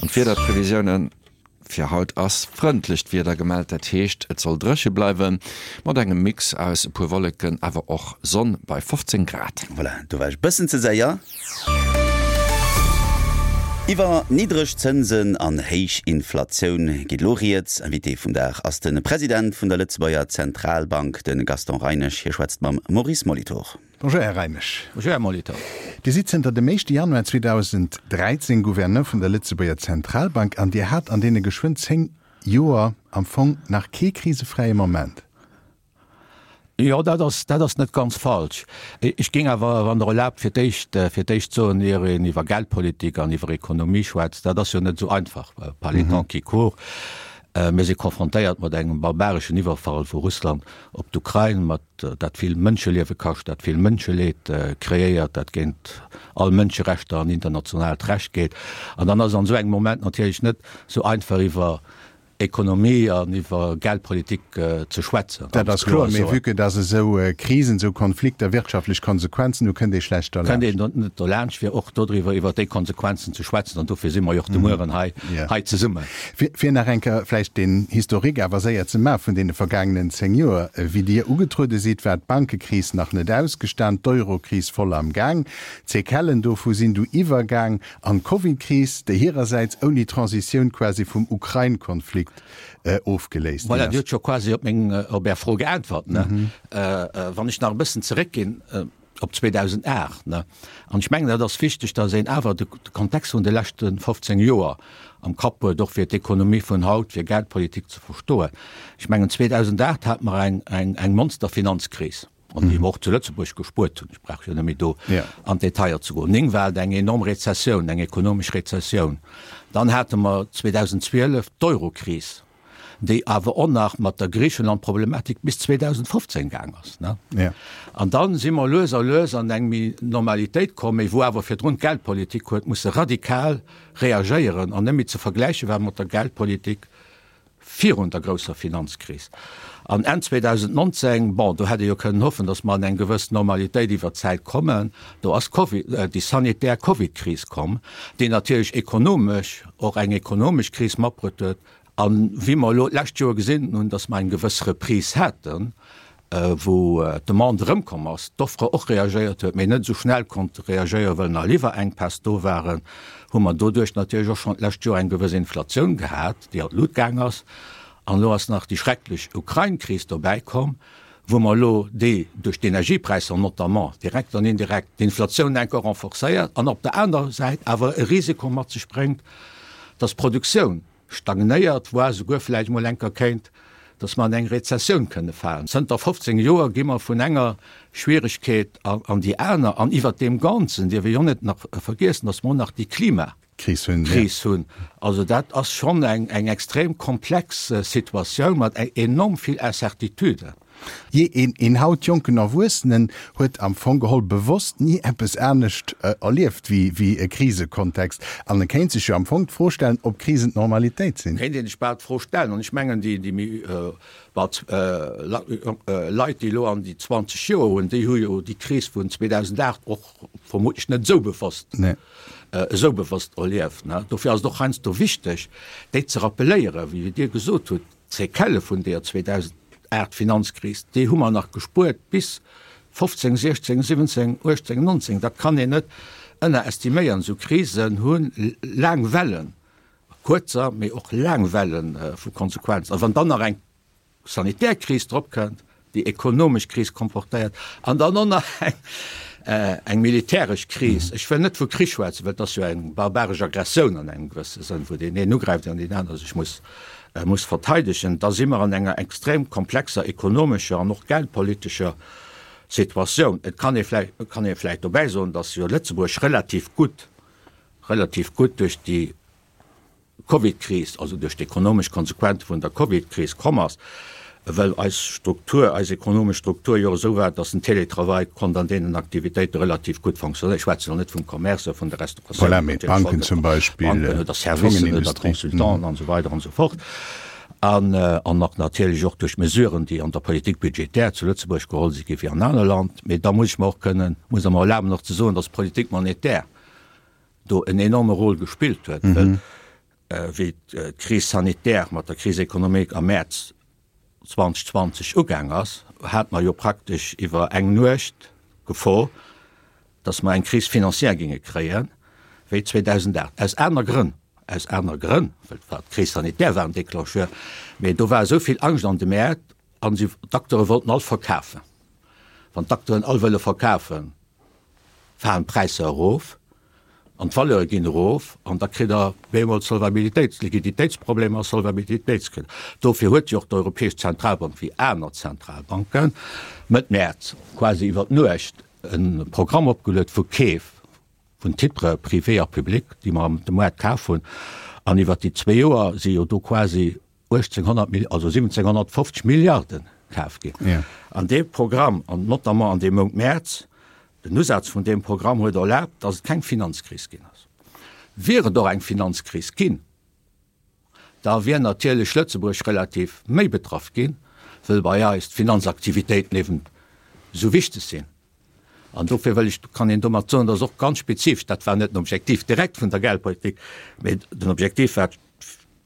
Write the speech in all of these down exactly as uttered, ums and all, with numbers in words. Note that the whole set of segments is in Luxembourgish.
An d'Wiederprevisiounen, Fir haut ass frëndlecht Wieder gemellt, dat heescht et soll dréche bleiwen, mat engem Mix aus e puer Wolleken, awer och Sonn bei fofzéng Grad. Voilà, do war ech bëssen ze séier. Iwwer niddreg Zënsen an héich Inflatioun geet elo rieds. Invité vum Dag ass de President vun der Lëtzebuerger Zentralbank, de Gaston Reinesch. Hie schwätzt mam Maurice Molitor. Bonjour Här Reinesch. Bonjour Här Molitor. Dir sidd zënter dem éischte Januar zweedausend dräizéng Gouverneur vun der Lëtzebuerger Zentralbank an Dir hat an deene geschwënn zéng Joer am Fong nach kee krisefräie Moment. Jo, dat ass, dat ass net ganz falsch. Ech géing awer, wann Der erlaabt, fir d'éischt, fir d'éischt soen, ier een iwwer Geldpolitik an iwwer Ekonomie schwätzt, dat ass jo net esou einfach par les temps qui courent. Mir si konfrontéiert mat engem barbareschen Iwwerfall vu Russland op d'Ukrain, mat dat vill Mënscheliewe kascht, dat vill Mënscheleed kreéiert, dat géint all Mënscherechter an internationaalt Recht geet. An dann ass et an esou engem Moment natierlech net esou einfach iwwer Ekonomie an iwwer Geldpolitik ze schwätzen. Dat ass kloer, mee vue que dass esou Krisen, esou Konflikter wirtschaftlech Konsequenzen hu, kënnt ee schlecht derlaanscht. Kënnt een net derlaanscht, fir och dodriwwer, iwwer déi Konsequenzen ze schwätzen. An dofir si mer jo och de Mueren hei, hei zesummen. Fir nach eng Kéier vläicht den Historique awer séier ze maachen vun deene vergaangenen zéng Joer. Wéi Dir ugetruede sidd, war d'Bankekris nach net ausgestan, d'Eurokris voll am Gaang. D'Séquellen dovu sinn du iwwergaang an d'Covidkris, déi hirersäits ouni Transitioun quasi vum Ukrain-Konflikt ofgeléist ginn Voilà, Dir hutt scho quasi op meng, op Är Fro geäntwert, ne? Wann ech nach e bëssen zeréckginn op zweedausendacht, ne, an ech mengen, dat ass wichteg, datt een awer de Kontext vun de leschte fofzéng Joer am Kapp huet, och fir d'Ekonomie vun haut, fir Geldpolitik ze verstoen. Ech mengen, zweedausendacht hate mer eng, eng, eng Monsterfinanzkris. An déi mer och zu Lëtzebuerg gespuert hunn. Ech brauch jo net méi do an d'Detailler ze goen. Néng war et eng enorm Rezessioun, eng ekonomesch Rezessioun. Dann hate mer zweedausendzwielef d'Eurokris, déi awer och nach mat der Griichenland-Problematik bis zweedausendfofzéng gaang ass. An da si mer lues a lues an eng méi Normalitéit komm, méi wou awer virdrun d'Geldpolitik huet musse radikal reagéieren an net méi ze vergläiche war mat der Geldpolitik virun der grousser Finanzkris. An Enn zweedausendnonzéng, bon, do hätt ee jo kënnen hoffen, datt mer an eng gewëss Normalitéit iwwer d'Zäit kommen, do ass d'Covid, déi sanitär Covidkris komm, déi natierlech ekonomesch och eng ekonomesch Kris matbruet huet. A wéi mer elo d'lescht Joer gesinn hunn, datt mer eng gewëss Reprise haten, wou d'Demande erëmkomm ass, d'Offre och reagéiert huet, mee net esou schnell konnt reagéieren, well nach Liwwerenkpäss do waren, hu mer doduerch natierlech och schonn d'lescht Joer eng gewëss Inflatioun gehat, déi an d'Lut gaang ass. An elo ass nach déi schrecklech Ukrain-Kris dobäi komm, wou mer elo déi duerch d'Energiepräisser notamment, direkt an indirekt, d'Inflatioun enker renforcéiert an op der anerer Säit awer e Risiko mat sech bréngt, dass d'Produktioun stagnéiert, voire souguer vläicht emol enker kéint, dass mer an eng Rezessioun kënne falen. Zënter fofzéng Joer gi mer vun enger Schwieregkeet an déi aner. An iwwert deem Ganzen dierf ee jo net nach vergiessen, dass mer och nach déi Klimakris hunn. Also dat ass schonn eng extrem komplex Situatioun mat enorm vill Incertituden. Jee, een, een haut jonken Erwuessenen huet am Fong geholl bewosst ni eppes anescht erlieft wéi, wéi e Krisekontext. An e kéint sech jo am Fong d'Fro stellen, ob Krisen d'Normalitéit sinn. Kéint een sech bal d'Fro stellen. An ech mengen, déi, déi méi, bal, Leit, déi elo an déi zwanzeg Joer hunn, déi hu jo déi Kris vun zweedausendacht och vermutlech net esou bewosst, esou bewosst erlieft. Dofir ass et och heiansdo wichteg, déi ze rappeléieren, wéi Dir gesot hutt, D'Séquellë vun deeër zweedausendacht Finanzkris, déi hu mer nach gespuert bis fofzéng, siechzéng, siwwenzéng, uechtzéng, nonzéng. Dat kann een net ënnerestiméieren. Esou Krisen hu laang Wellen, kuerzer, mee och laang Welle vu Konsequenzen. A wann dann nach eng sanitär Kris drop kënnt, déi ekonomesch Kris komportéiert an dann och nach eng eng militäresch Kris, ech wëll net vu Krich schwätzen, well et ass jo eng barbaresch Aggressioun an engem gewësse Sënn, wou deen een ugräift an deen aner sech muss muss verteidegen, da si mer an enger extrem komplexer ekonomescher an och geldpolitescher Situatioun. Et kann ee vläicht kann ee vläicht dobäi soen, datt jo Lëtzebuerg relativ gutt relativ gutt duerch déi Covid-Kris, also duerch d'ekonomesch Konsequente vun der Covid-Kris komm ass, well eis Struktur, eis ekonomesch Struktur jo esou war, dass den Télétravail konnt an deenen Aktivitéite relativ gutt fonctionnéieren. Ech schwätzen elo net vum Commerce, vun der Restauratioun, Voilà, mee d'Banken zum Beispill, Banken oder Servicen oder Consultanten an esou weider an esou fort. An an och natierlech och duerch Mesuren, déi an der Politique budgétaire zu Lëtzebuerg geholl si gi wéi an aner Land. Mee da muss ech mer och kënnen, muss Der mer erlaben och ze soen, dass d'Politique monétaire do en enorme Rôle gespillt huet, well Wéi d'Crise sanitaire mat der Crise économique am Mäerz zwanzeg zwanzeg ugaang ass, hate mer jo praktesch iwwer eng Nuecht d'Gefor, dass mer eng Crise financière géinge kréien, wéi zweedausendacht. Aus aner Grënn, aus aner Grënn, well et war d'Crise sanitaire war en Déclencheur, mee do war esou vill Angscht an de Mäert an si, d'Acteure wollten all verkafen. Wann d'Acteuren all wëlle verkafen, falen d'Präisser erof an d'Valeure ginn erof an da kritt Der bemol Solvabilitéits-, Liquiditéitsproblemer a Solvabilitéitskrisen. Dofir huet jo och d'Europäesch Zentralbank, wéi aner Zentralbanken, Mëtt Mäerz, quasi iwwer d'Nuecht, e Programm opgeluet vu Keef vun Titres privés a publics, déi mer am de Moart kaf hunn. An iwwer déi zwee Joer si jo do quasi uechtzénghonnert Mil-, also siwwenzénghonnertfofzeg Milliarde kaf ginn. An dee Programm, an notamment an deem Mount Mäerz, Den Usaz vun deem Programm huet erlaabt, dass et keng Finanzkris ginn ass. Wier et och eng Finanzkris ginn, da wier natierlech Lëtzebuerg relativ méi betraff ginn, wëll bei eis d'Finanzaktivitéiten eben esou wichteg sinn. An dofir wëll ech, kann een domat soen, dass och ganz spezifesch, dat war net den Objektiv direkt vun der Geldpolitik, mä den Objektiv war,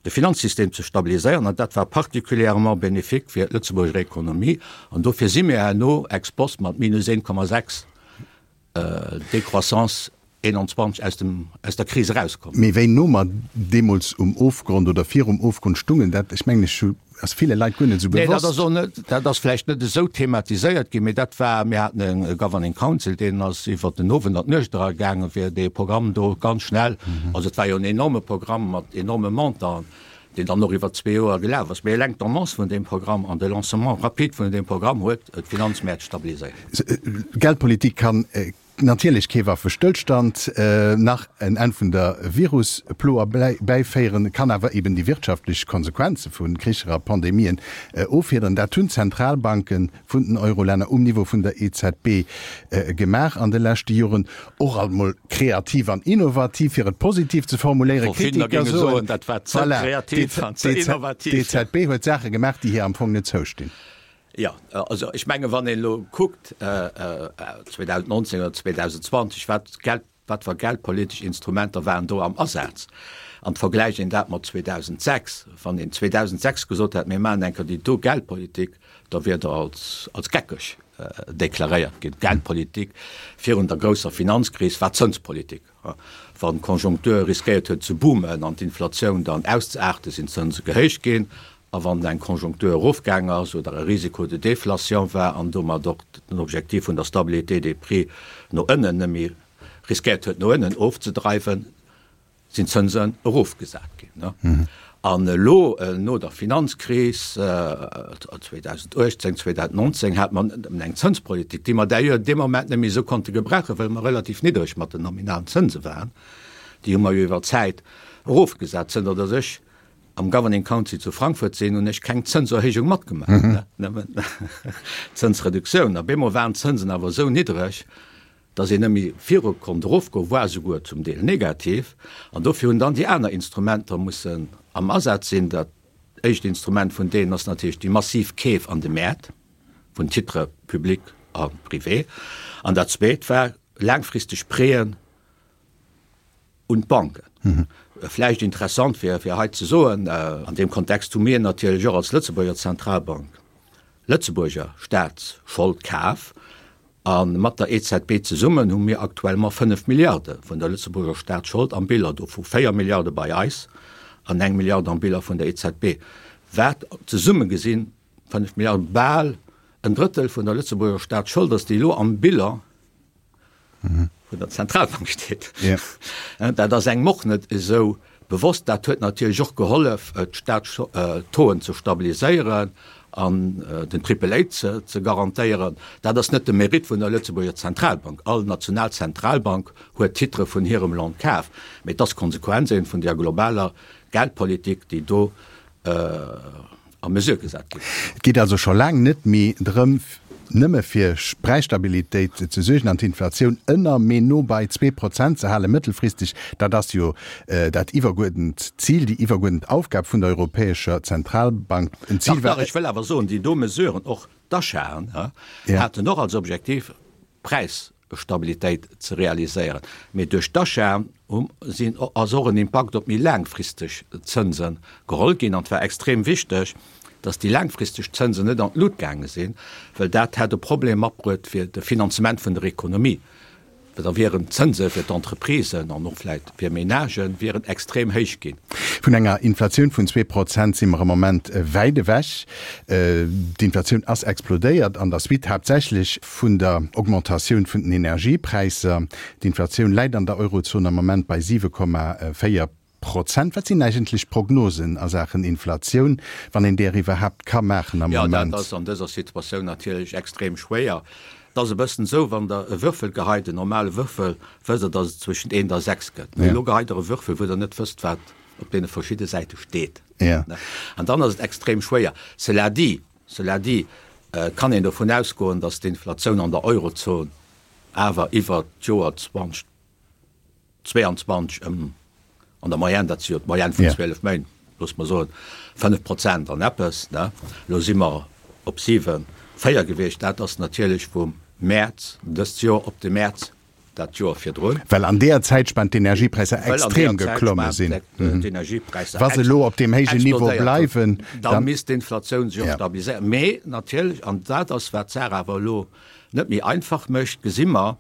de Finanzsystem ze stabiliséieren, an dat war particulièrement bénéfique fir d'Lëtzebuurger Ekonomie. An dofir si mir herno ex post mat minus een Komma sechs Décroissance eenanzwanzeg aus dem, aus der Kris erauskomm. Mee wéi no mer deemools um Ofgrond oder virum Ofgrond stungen, dat, ech mengen, ech hu, ass ville Leit guer net esou Nee, dat bewosst. ass och net, dat ass vläicht net esou thematiséiert ginn, mee dat war, mir haten e Governing Council, deen ass iwwert den Owend an d'Nuecht era gaangen, fir dee Programm do ganz schnell, also et war jo en enorme Programm mat enorme Montanten, deen dann och iwwer zwee Joer gelaf ass. Mee eleng d'Annonce vun deem Programm an de Lancement rapide vun deem Programm huet d'Finanzmäert stabiliséiert. Geldpolitik kann natierlech kee Waffestëllstand nach en Enn vun der Virusplo erbäiféieren, kann awer eben déi wirtschaftlech Konsequenze vu Kricher a Pandemien offiederen. Dat hunn d'Zentralbanke vun den Eurolänner um Niveau vun der E Z B gemaach an de leschte Joren, och alt mol kreativ an innovativ, fir et positiv ze formuléieren. Verschiddener Kritiker géinge soen, soen, dat war ze voilà, kreativ an ze innovativ. d'E Z B huet Saache gemaach, déi hir am Fong net zoustinn. Jo, also ech menge wann een elo kuckt zweedausendnonzéng oder zweedausendzwanzeg, wat Geld, wat fir geldpolitesch Instrumenter waren do am Asaz, an vergläicht een dat mat zweedausendsechs, wann een zweedausendsechs gesot hätt, mir maachen eng Kéier déi do Geldpolitik, da wier Der als, als geckeg deklaréiert ginn. D'Geldpolitik virun der grousser Finanzkris war Zënspolitik. Wann d'Konjunktur riskéiert huet ze boomen an d'Inflatioun dann auszeaarten, sinn d'Zënse gehéicht ginn. A wann eng Konjunktur erofgaang ass oder e Risiko de déflation war an domat och den Objektiv vun der Stabilité des prix no ënnen net méi riskéiert huet no ënnen ofzedreiwen, sinn d'Zënsen erofgesat ginn. An elo no der Finanzkris zweedausenduechtzéng, zweedausenneunzéng hat mer nëmmen eng Zënspolitik, déi mer d'ailleurs dee Moment net méi esou konnte gebrauchen, well mer relativ niddreg mat den nominalen Zënse waren. Déi hu mer jo iwwer d'Zäit erofgesat. Zënter datt ech am Governing Council zu Frankfurt sinn, hunn ech keng Zënserhéijung matgemaach, nëmmen Zënsreduktioun. A bemol waren d'Zënsen awer esou niddreg, datt een net méi viru konnt erofgoen, voire souguer zum Deel negativ. An dofir hunn dann déi aner Instrumenter mussen am Asaz sinn. Dat éischt Instrument vun deenen ass natierlech déi massiv Keef an de Mäert vun Titres publics a privés. An dat zweet war laangfristeg Prêten un d'Banken. Vläicht interessant fir fir hei ze soen, an deem Kontext hu mir natierlech och als Lëtzebuerger Zentralbank Lëtzebuerger Staatsschold kaf a mat der E Z B zesummen hu mir actuellement fënnef Milliarde vun der Lëtzebuerger Staatsschold am Bilan, dovu véier Milliarde bei eis an eng Milliard am Bilan vun der E Z B, wat zesumme gesinn, fënnef Milliarde, bal en Drëttel vun der Lëtzebuerger Staatsschold ass, déi elo am Bilan vun der Zentralbank steet. Dat ass engem och net esou bewosst. Dat huet natierlech och gehollef, d'Staatstauxen ze stabiliséieren an den Triple A ze garantéieren. Dat ass net de Mérite vun der Lëtzebuerger Zentralbank. All national Zentralbank huet Titre vun hirem Land kaf. Mee et ass d'Konsequenz eben vun där globaler Geldpolitik, déi do a Mesure gesat ginn. Et geet also scho laang net méi drëm, nëmme fir Präisstabilitéit ze suergen an d'Inflatioun ënner, mee no bei zwee Prozent ze halen, mëttelfristeg. Dat ass jo dat iwwerguerdent Zil, déi iwwerguerdent Aufgab vun der Europäescher Zentralbank. En Zil, Dach, dach, ech wëll awer soen, déi do Mesuren, och d'Achaten, haten och als Objektiv, d'Präis. Stabilitéit ze realiséieren. Mee duerch d'Achaten sinn, ass och en Impakt op méi laangfristeg Zënse geholl ginn. An et war extrem wichteg, datt déi laangfristeg Zënsen net an d'Lut gaange sinn, well dat hätt e Problem matbruet fir de Finanzement vun der Ekonomie, well da wieren d'Zënse fir d'Entreprisen an och vläicht fir Menagen wieren extrem héich ginn. Vun enger Inflatioun vun zwee Prozent si mer am Moment wäit ewech. D'Inflatioun ass explodéiert an der Suite haaptsächlech vun der Augmentatioun vun den Energiepräisser. D'Inflatioun läit an der Eurozon am Moment bei siwe Komma véier Prozent. Wat sinn eigentlech d'Prognosen a Saachen Inflatioun, wann een där iwwerhaapt ka maachen am Jo, dat Moment? ass an dëser Situatioun natierlech extrem schwéier. Et ass e bëssen esou, wann Der e Würfel geheit, en normale Würfel, wësst Der, datt et zwëschent eent a sechs gëtt. Mee elo geheit Der e Würfel, wou Der net wësst, wat op deene verschidde Säite steet. An dann ass et extrem schwéier. Cela dit, cela dit, kann een dovun ausgoen, datt d'Inflatioun an der Eurozon awer iwwert d'Joer zwanzeg zwéianzwanzeg ëm an der Moyenne, dat si jo d'Moyenne vun zwielef Méint, loosse mer soen fënnef Prozent an eppes, ne, elo si mer op siwen, véier gewiescht, dat ass natierlech vum Mäerz dëst Joer op de Mäerz dat Joer virdrun. Well an deeër Zäitspann d'Energiepräisser extrem geklomme sinn. Wa se elo op deem héijen Niveau bleiwen, da misst d'Inflatioun sech och stabiliséieren. Mee natierlech, an dat ass wat d'Saach awer elo net méi einfach mécht, gesi mer,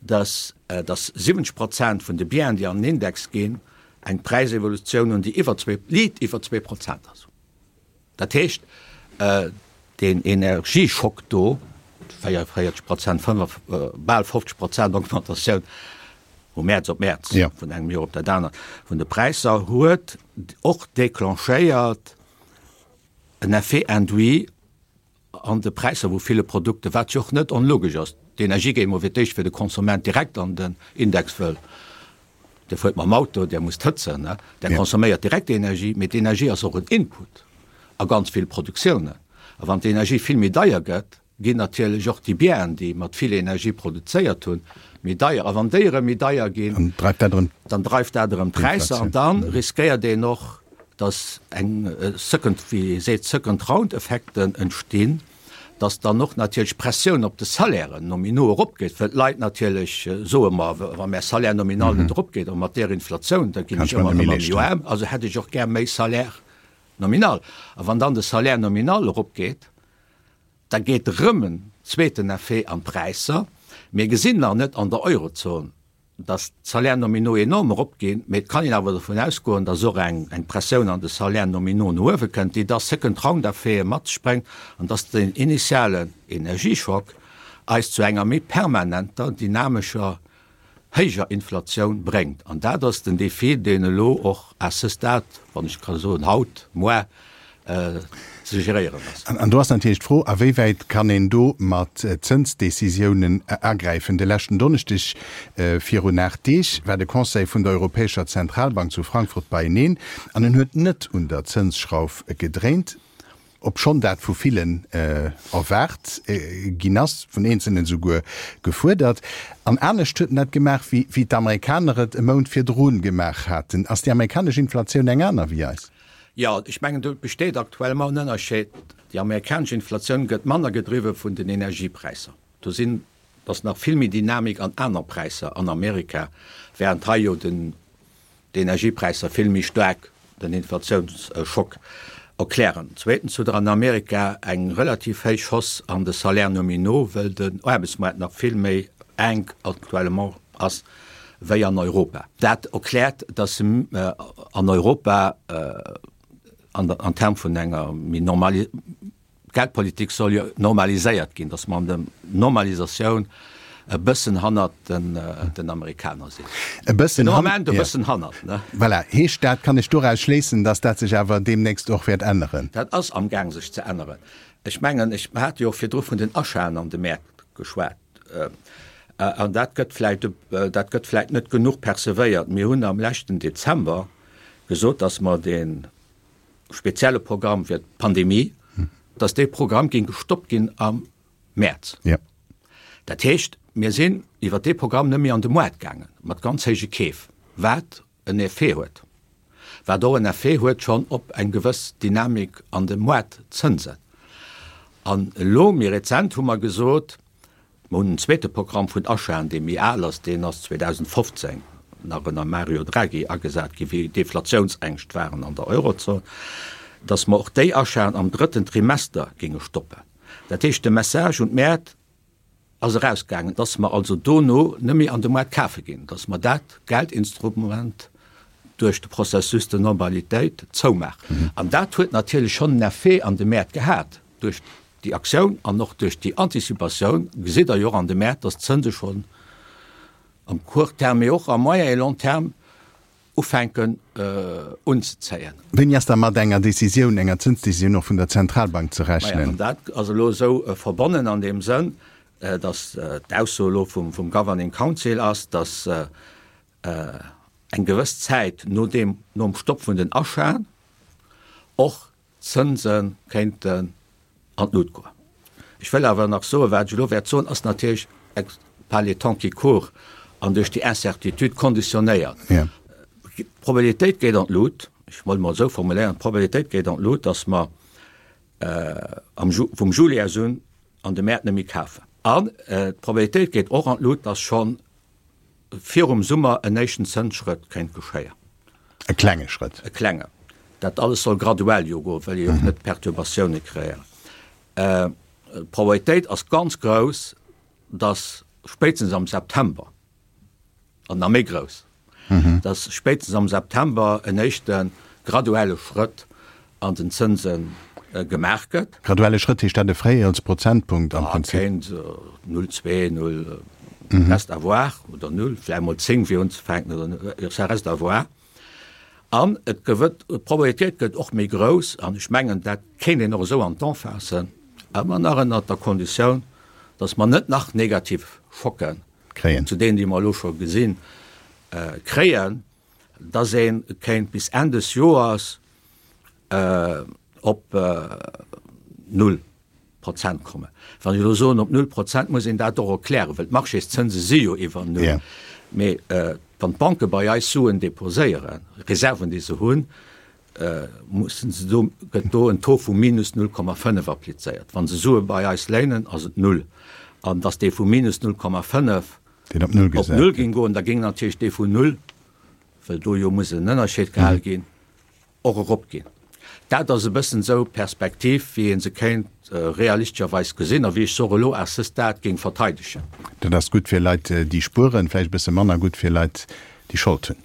dass dass siwwenzeg Prozent vun de Bienen, déi an den Index ginn, eng Präisevolutioun hunn, déi iwwer zwee, liit iwwer zwee Prozent ass. Dat heescht, deen Energieschock do, véierundvéierzeg Prozent, fënnef, bal fofzeg Prozent Augmentatioun vu Mäerz op Mäerz, vun engem Joer op dat anert, vun de Präisser, huet och déclenchéiert en Effet induit an de Präisser vu ville Produkten, wat jo och net onlogesch ass. D'Energie geet emol fir d'éischt fir de Konsument direkt an den Index, wëll Dir fuert mam Auto, Dir musst hëtzen, Der consomméiert direkt Energie, mee d'Energie ass och en Input a ganz vill Produktiounen. A wann d'Energie vill méi deier gëtt, ginn natierlech och déi Bieren, déi mat vill Energie produzéiert hunn, méi deier. A wann déi erëm méi deier ginn, dann dreift dat erëm d'Präisser an da riskéiert een och, dass eng second, wéi ee seet, second round Effekten entstinn, dass dann och natierlech d'Pressioun op de Salairen nominaux eropgeet, wëll d'Leit natierlech soen, ma wa mäi Salaire nominal net eropgeet a mat där Inflatioun, da ginn ech ëmmer ëmmer méi aarm, also hätt ech och gär méi Salaire nominal. A wann dann de Salaire nominal eropgeet, da geet erëm en zweeten Effet an d'Präisser. Mir gesinn nach net an der Eurozon, dass d'Salaires nominaux enorm eropginn, mee et kann een awer dovun ausgoen, dass och eng eng Pressioun an de Salaires nominaux no uewe kënnt, déi da Second-round-Effete mat sech bréngt an dass den initialen Energieschock eis zu enger méi permanenter, dynamescher, héijer Inflatioun bréngt. An dat ass den Défi, deen elo och à ce stade, wann ech ka soen haut, moar, ze geréieren ass. An do ass natierlech d'Fro, a wéi wäit kann een do mat Zënsdecisiounen agräifen. De leschten Donneschdeg virun aacht Deeg war de Conseil vun der Europäescher Zentralbank zu Frankfurt beieneen an en huet net un der Zënsschrauf gedréint, obschonn dat vu villen erwaart ginn ass, vun Eenzelnen esouguer gefuerdert. An anescht huet en dat gemaach, wéi d'Amerikaner et e Mount virdru gemaach haten. Ass déi amerikanesch Inflatioun eng aner wéi eis? Jo, ech mengen, do besteet actuellement en Ënnerscheed. Déi amerikanesch Inflatioun gëtt manner gedriwwe vun den Energiepräisser. Do sinn, ass nach vill méi Dynamik an aner Präisser an Amerika, während hei jo den, d'Energiepräisser vill méi staark den Inflatiounsschock erklären. Zweetens hutt Der an Amerika eng relativ héich Hausse an de Salaires nominaux, well den Aarbechtsmaart nach vill méi enk actuellement ass wéi an Europa. Dat erkläert, dass an Europa an Term vun enger méi normali Geldpolitik soll jo normaliséiert ginn, dass mer an der Normalisatioun e bëssen hannert den Amerikaner sinn. E bëssen Den Moment e bëssen hannert, ne? Voilà. Heescht dat, kann ech doraus schléissen, dass dat sech awer deemnächst och wäert änneren? Dat ass amgaang sech ze änneren. Ech mengen, ech hat jo och virdru vun den Achaten an de Mäert geschwat. An dat gëtt vläicht, dat gëtt vläicht net genuch percevéiert. Mir hunn am leschten Dezember gesot, dass mer dee spezielle Programm fir d'Pandemie, dass dee Programm géing gestoppt ginn am Mäerz. Dat heescht, mir sinn iwwert dee Programm net méi an de Moart gaange mat ganz héije Keef, wat en Effet huet, wat och en Effet huet schonn op eng gewëss Dynamik an de Moartzënsen. An elo méi rezent hu mer gesot, Mer hunn en zweete Programm vun Achaten, dee méi al ass, deen ass zweedausendfofzéng nach ënner Mario Draghi agesat ginn, wéi Deflatiounsängscht waren an der Eurozon, datt mer och déi Achaten am drëtten Trimester géinge stoppen. Dat heescht, de Message un d'Mäert ass erausgaangen, datt mer also dono net méi an de Moart kafe ginn, datt mer dat Geldinstrument duerch de Processus de normalitéit zoumaachen. An dat huet natierlech schonn en Effet an de Mäert gehat. Duerch déi Aktioun an och duerch déi Anticipatioun gesitt Der jo och an de Mäert, datt d'Zënse schonn am court terme, mee och am moyen et long terme ufänken unzezéien. Wéini ass da mat enger Décisioun, enger Zënsdécisioun och vun der Zentralbank ze rechnen? Maja, an dat ass elo esou verbonnen an deem Sënn, datt d'Ausso elo vum Governing Council ass, datt eng gewëss Zäit no deem, nom Stopp vun den Achaten och d'Zënse kéinten an d'Lut goen. Ech wëll awer nach soen, wat ech elo wäert soen, ass natierlech par les temps qui courent an duerch déi Incertitude konditionéiert. D'Probabilitéit geet an d'Lut, ech wëll emol esou formuléieren, d'Probabilitéit geet an d'Lut, datt mer am vum Juillet un an de Mäert net méi kafen. An d'Probabilitéit geet och an d'Lut, datt schonn virum Summer en éischten Zënsschrëtt kéint geschéien. E klenge Schrëtt. E klengen. Dat alles soll graduell jo goen, wëll ee jo och net Perturbatioune kreéieren. D'Probabilitéit ass ganz grouss, datt spéitstens am September, an nach méi grouss, datt spéitstens am September en éischte graduelle Schrëtt an den Zënse gemaach gëtt. Graduelle Schrëtt, heescht dat e Fréijoersprozentpunkt am Prinzip? Kéint null zwee, null, reste à voir, oder null, vläicht emol zéng fir unzefänken, oder ça reste à voir. An et gewëtt, d'Probabilitéit gëtt och méi grouss, an ech mengen, dat kéint een och esou an d'An faassen, ëmmer nach ënnert der Konditioun, datt mer net nach negativ Schocken, Kréien. zu deenen, déi mer elo scho gesinn, kréien, datt ee kéint bis Enn des Joers op null Prozent kommen. Wann ech elo soen op null Prozent, muss een dat och erklären, well d'Marchészënse si jo iwwer null. Mee wann d'Banke bei eis Suen deposéieren, Reserven, déi se hunn, mussen se do, gëtt do en Taux vu minus null Komma fënnef applizéiert. Wa se Sue bei eis léinen, ass et null. An datt dee vu minus null Komma fënnef op null op null géing goen, da géing natierlech dee vun null, well do jo muss en Ënnerscheed gehal ginn, och eropginn. Dat ass e bëssen esou d'Perspektiv, wéi ee se kéint realistescherweis gesinn a wéi ech se och elo à ce stade géing verteidegen. Dat ass gutt fir Leit, déi spueren, vläicht e bësse manner gutt fir Leit, déi Schold hunn.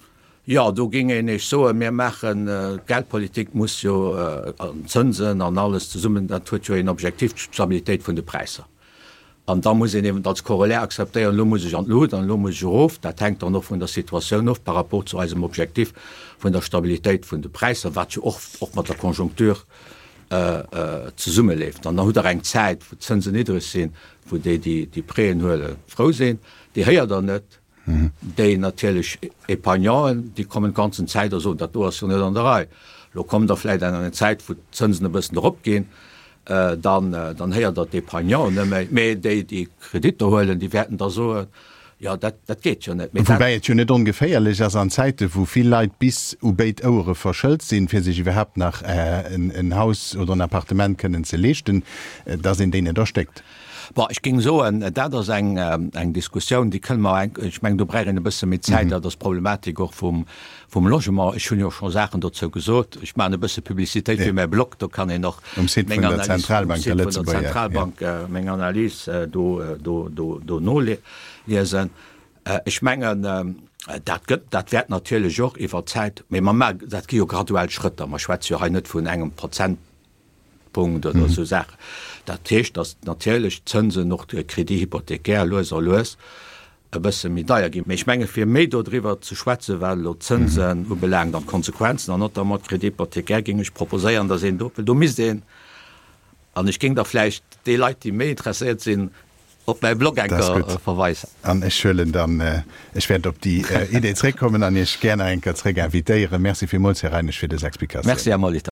Jo, do géing een Iech soen, mir maachen, d'Geldpolitik muss jo, an d'Zënsen an alles zesummen, dat huet jo een Objektiv, d'Stabilitéit vun de Präisser. An da muss een eben als Corollaire akzeptéieren, elo muss ech an d'Lut an elo muss ech erof. Dat hänkt dann och vun der Situatioun of par rapport zu eisem Objektiv vun der Stabilitéit vun de Präisser, wat jo och och mat der Konjunktur zesummeleeft. An dann hutt Der eng Zäit, wou d'Zënsen niddreg sinn, wou déi, déi déi Prêten huelen, frou sinn. Déi héiert Der net. Déi natierlech Épargnanten, déi kommen d'ganzen Zäit a soen, dat do ass jo net an der Rei. Elo kommt Der vläicht an eng Zäit, wou d'Zënsen e bëssen eropginn. Dann, dann héiert Der d'Épargnanten net méi, mee déi, déi Kreditter huelen, déi wäerten da soen, Jo, dat, dat geet jo net. Mee dat. Woubäi et jo net ongeféierlech ass an Zäite wou vill Leit bis u béid Ouere verschëlt sinn, fir sech iwwerhaapt nach en Haus oder en Appartement kënnen ze leeschten, dass een déi net erstéckt. Bon, ech géing soen, dat ass eng, eng Diskussioun, déi kënne mer eng, ech mengen, do bräicht een e bësse méi Zäit. Dat ass d'Problematik och vum, vum Logement. Ech hunn jo scho Saachen dozou gesot. Ech maachen e bësse Publicitéit fir mäi Blog, do kann een och Um Site meng vun der Analys, um Zentralbank, der Site vun der Lëtzebuerger, ja. Zentralbank meng Analys do, do, do, do noliesen. Ech mengen, dat gëtt, dat wäert natierlech och iwwer d'Zäit, mee mer maachen, dat gi jo graduell Schrëtter, mer schwätze jo hei net vun engem Prozentpunkt oder esou Saachen. Dat heescht, datt natierlech d'Zënsen och de Crédit hypothécaire lues a lues e bësse méi deier ginn. Mee ech menge fir méi dodriwwer ze schwätzen, wat elo d'Zënsen ubelaangt an d'Konsequenzen an notamment d'Crédit hypothécaire, géing ech proposéieren, datt een do, well do misst een, an ech géing da vläicht déi Leit, déi méi interesséiert sinn, op mäi Blog eng Dat ass Kéier gutt. verweisen. An ech huelen dann, ech wäert op déi Idee zréckkommen an Iech gär nach eng Kéier zréck invitéieren. Merci villmools, Här Reinisch, fir dës Explikatioun. Merci, Här Molitor.